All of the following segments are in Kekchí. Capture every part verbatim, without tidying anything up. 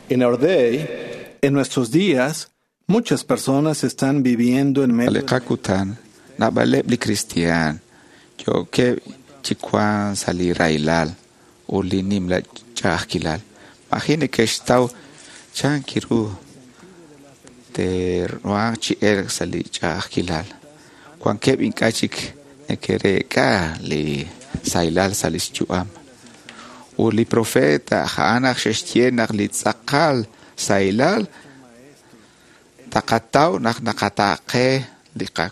In our day, En nuestros días, muchas personas están viviendo en medio Li qakutan naab'aleb' li kristiaan yookeb' chi wank sa' li rahilal ut li nimla ch'a'ajkilal. Maji' neke'xtaw chan ru te'ruhanq chi elk sa' li ch'a'ajkilal. Wankeb' ink'a' chik neke'reek'a li sahilal sa' lix yu'am. Ut li profeta a'an naq xe'xye naq li tz'aqal sahilal taqataw naq naqataaqe li qa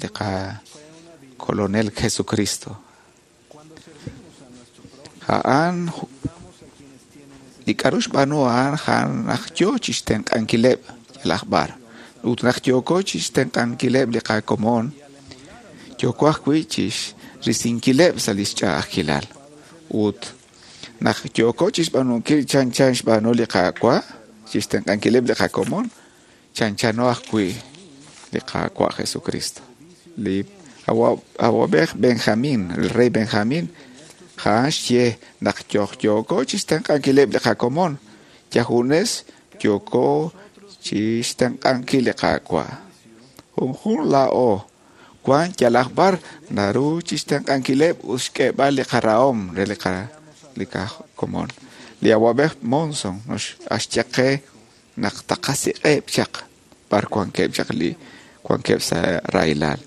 li qakolonel Jesucristo. A'an li k'a'ru xb'aanu a'an a'an naq yoo chixtenq'ankileb' yalaq b'ar. Ut naq yooko chixtenq'ankileb' li qakomon, yooko ajwi' chixrisinkileb' sa' lix ch'a'ajkilal. Ut naq yooko chixb'aanunkil chanchan xb'aanu li Qaawa', chixtenq'ankileb' li qakomon, chanchano ajwi' li Qaawa' Jesucristo. Li awab'ej Benjamín, el rey Benjamín, a'an xye naq yoj yooko chixtenq'ankileb' li qakomon, yajunes yooko chixtenq'ankil li Qaawa'. Junjun laa'o wan yalaq b'ar naru chixtenq'ankileb' ut xk'eeb'al li qarahom re li qa li qakomon. Li awab'ej Monson axye qe naq taqasiq'eb' chaq b'ar wankeb' chaq li wankeb' sa' rahilal.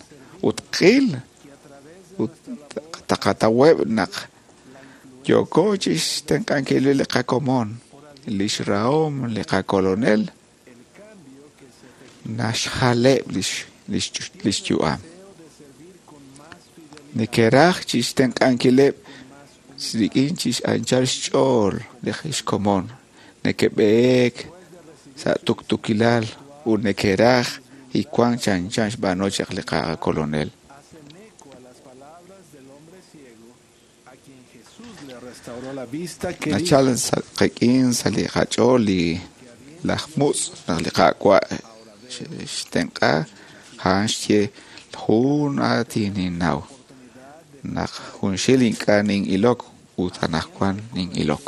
Ut qil ut taqataweb' naq yooko chixtenq'ankil li qakomon, lix rahom li qakolonel naxjaleb' lix lix lix yu'am. Neke'raj chixtenq'ankileb' rik'in chix'anchal xch'ool li xkomon. Neke'b'eek sa' tuktukilal ut neke'raj wank chanchan xb'aanu chaq li qakolonel. Hacen eco a las palabras del hombre ciego a quien Jesús le restauró la vista que dijo, Nachal sa' qik'in sa' li qach'ool li laj mutz' naq li Qaawa' xtenq'a a'an xye jun aatin ninnaw naq junxil ink'a' nin'ilok ut anaqwan nin'ilok.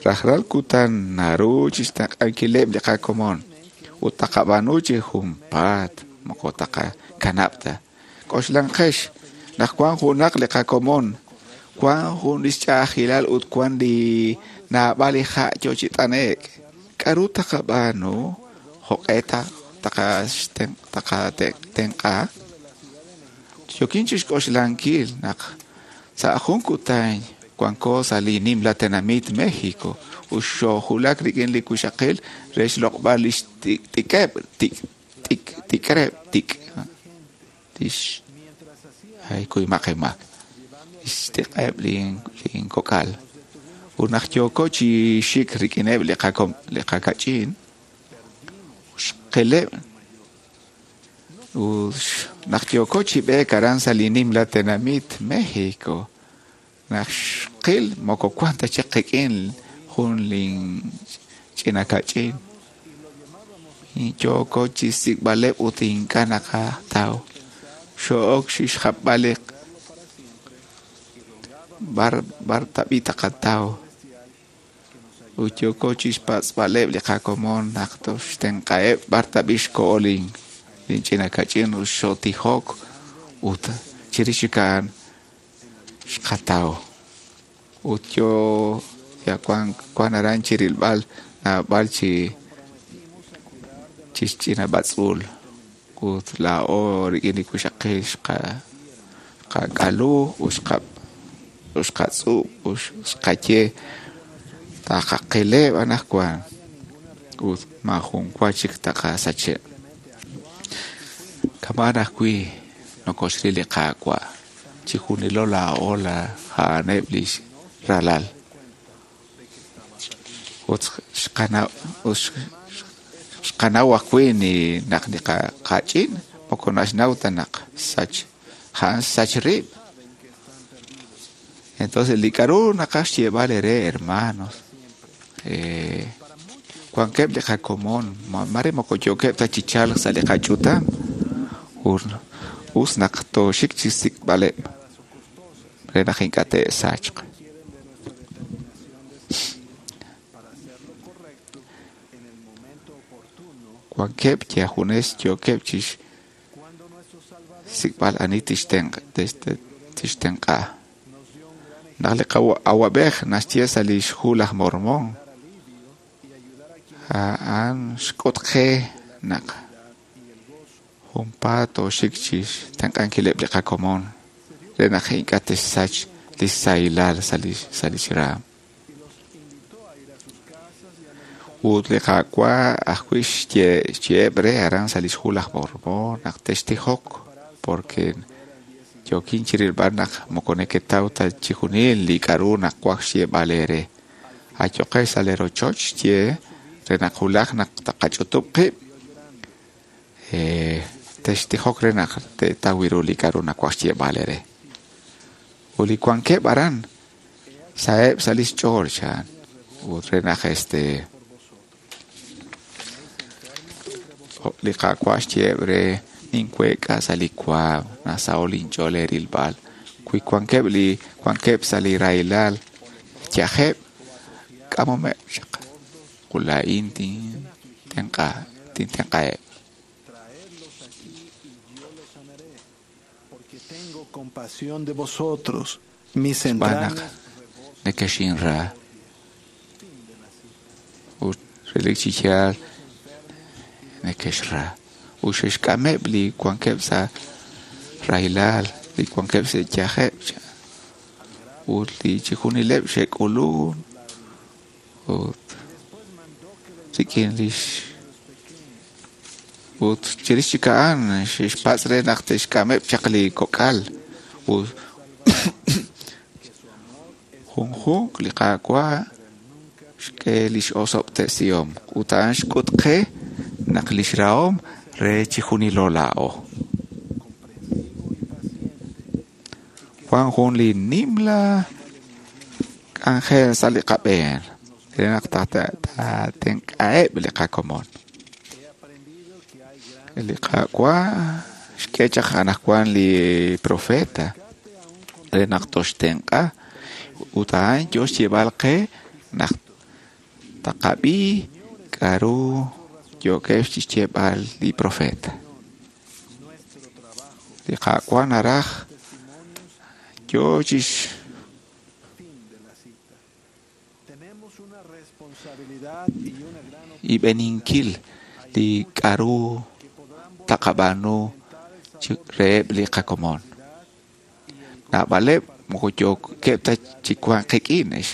Rajlal kutan naru chixtenq'ankileb' li qakomon ut taqab'aanu chi junpaat moko taqakanab' ta. K'oxlanqex naq wan junaq li qakomon wan jun lix ch'a'ajkilal ut wan li naab'al li ha' yoo chi t'ane'k. K'a'ru taqab'aanu jo'q'e taqatenq'a? Yookin chixk'oxlankil naq sa' jun kutan wanko sa' li nimla tenamit México ut xoojulak rik'in li wixaqil re xloq'b'al lix tik'eb' tik tik tik'reb' tik lix ay kuymaq inmaak lix tik'eb' linkok'al. Ut naq yooko chi xik rik'ineb' li qakom li qakach'in xqileb' ut naq yooko chi b'eek aran sa' li nimla tenamit México naq xqil moko wan ta chik qik'in jun lin ch'ina kach'in. Yooko chi xsik'b'aleb' ut ink'a' naqataw. Xo'ok chixjapb'al li b'ar b'ar tab'i' taqataw. Ut yooko chixpatz'b'aleb' li qakomon naq toxtenq'aheb' b'ar tab'i' xko'o lin lin ch'ina kach'in ut xootijok ut chirix chik a'an xqataw. Ut yo ya wan wan aran chirilb'al naab'al chi chi ch'ina b'atz'uul ut laa'o rik'in li wixaqil xqa xqak'alu ut xqa ut xqatz'ub' ut xqaye taqaqileb' anaqwan ut maajun wa chik taqasacheb'. Kama'an ajwi' nokoxril li Qaawa' chi junilo laa'o la a'aneb' lix ralal. Ut xqanaw ut xqanaw ajwi' ni naq li qach'in moko naxnaw ta naq sach a'an sach rib'. Entonces li k'a'ru naqaj xyeeb'al eere hermanos, eh, wankeb' li qakomon mare moko yookeb' ta chi chalk sa' li qach'utam ut us naq tooxik chi xsik'b'aleb' re naq ink'a' te'sachq. Wankeb' yajunes yookeb' chixsik'b'al ani tixtenq'a. Naq li awab'ej naxye sa' lix hu laj Mormón, a'an xk'ut qe naq junpaat tooxik chixtenq'ankileb' li qakomon re naq ink'a' te'xsach li sahilal sa' lix raam. Ut li Qaawa' ajwi' xye'eb' re aran sa' lix hu laj Mormón naq textijok porque yookin chirilb'al naq moko neketaw ta chijunil li k'a'ru naqwaj xyeeb'al eere. Ayoqex sa' lee rochoch xye re naq wulaj naq taqach'utub' qib' textijok re naq te'taw ru li k'a'ru nawaj xyeeb'al eere. Ut li wankeb' aran sa'eb' sa' lix ch'ool chan ut re naq este li Qaawa' xyeeb' re ninkueek'a sa' li waam nasaho' linch'ool eerilb'al. Wi wankeb' li wankeb' sa' li rahilal yajeb' k'amomeb' chaq ut laa'in tintenq'a tintenq'aheb'. Xb'aan naq nekexinra ut relik chi yaal nekexra ut xe'xk'ameb' li wankeb' sa' rahilal li wankeb' sa' yajeb' ut li chijunileb' xe'k'ulun ut rik'in lix ut chirix chik a'an xe'xpatz' re naq te'xk'ameb' chaq li kok'al ut junjunq li Qaawa' xk'e lix osob'tesihom ut a'an xk'ut qe naq lix rahom re chijunilo laa'o. Wan jun li nimla k'anjel sa' li qab'een re naq taatenq'aheb' li qakomon. Li Qaawa' xk'e chaq anaqwan li profeta re naq toxtenq'a ut a'an yo xyeeb'al qe naq taqab'i k'a'ru yookeb' chixyeeb'al li profeta. Li Qaawa' naraj yo chix ib'eninkil li k'a'ru taqab'aanu reheb' li qakomon. Naab'aleb' moko yookeb' ta chi wank qik'in, ex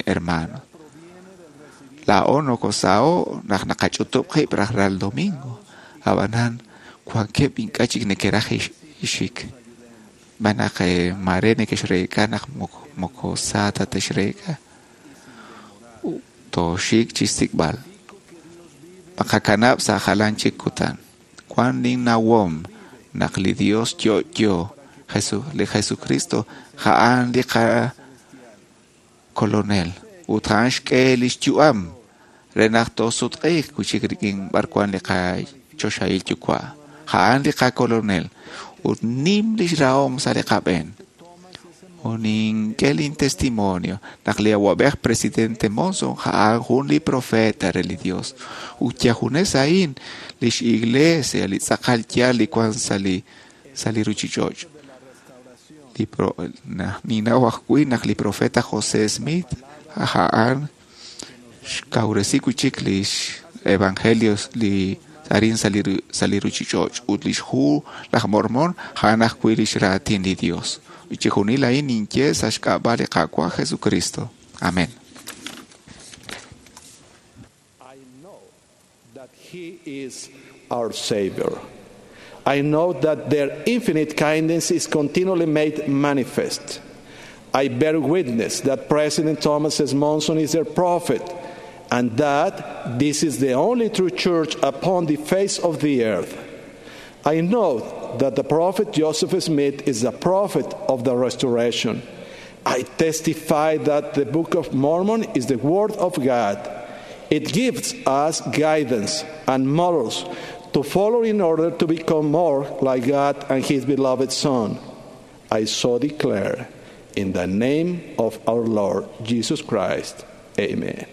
hermano. Laa'o nokosaho' naq naqach'utub' qib' rajlal domingo. Ab'anan wankeb' ink'a' chik neke'raj ixik. Xb'aan naq maare nekexreek'a naq moko sa ta texreek'a. Tooxik chixsik'b'al. Maqakanab' sa' jalan chik kutan. Wan ninnawom naq li Dios yo'yo li Jesucristo a'an li qakolonel ut a'an xk'e lix yu'am re naq toosutq'iiq wi'chik rik'in b'ar wan li qachoxahil yuwa'. A'an li qakolonel ut nim lix rahom sa' li qab'een. Ut nink'e lin testimonio naq li awab'ej presidente Monson a'an jun li profeta re li Dios. Ut yajunes a'in lix iglesia li tz'aqal yaal li wan sa' li sa' li ruchich'och'. Li pro ninnaw ajwi' naq li profeta José Smith a'an xkawresi wi'chik lix evangelios li arin sa' li sa' li ruchich'och' ut lix hu laj Mormón a'an ajwi' lix raatin li Dios. Ut chijunil a'in ninye sa' xk'ab'a' li Qaawa' Jesucristo. Amén. I know that He is our Savior. I know that their infinite kindness is continually made manifest. I bear witness that President Thomas S. Monson is their prophet and that this is the only true church upon the face of the earth. I know that the prophet Joseph Smith is the prophet of the restoration. I testify that the Book of Mormon is the Word of God. It gives us guidance and models to follow in order to become more like God and His beloved Son. I so declare in the name of our Lord Jesus Christ. Amen.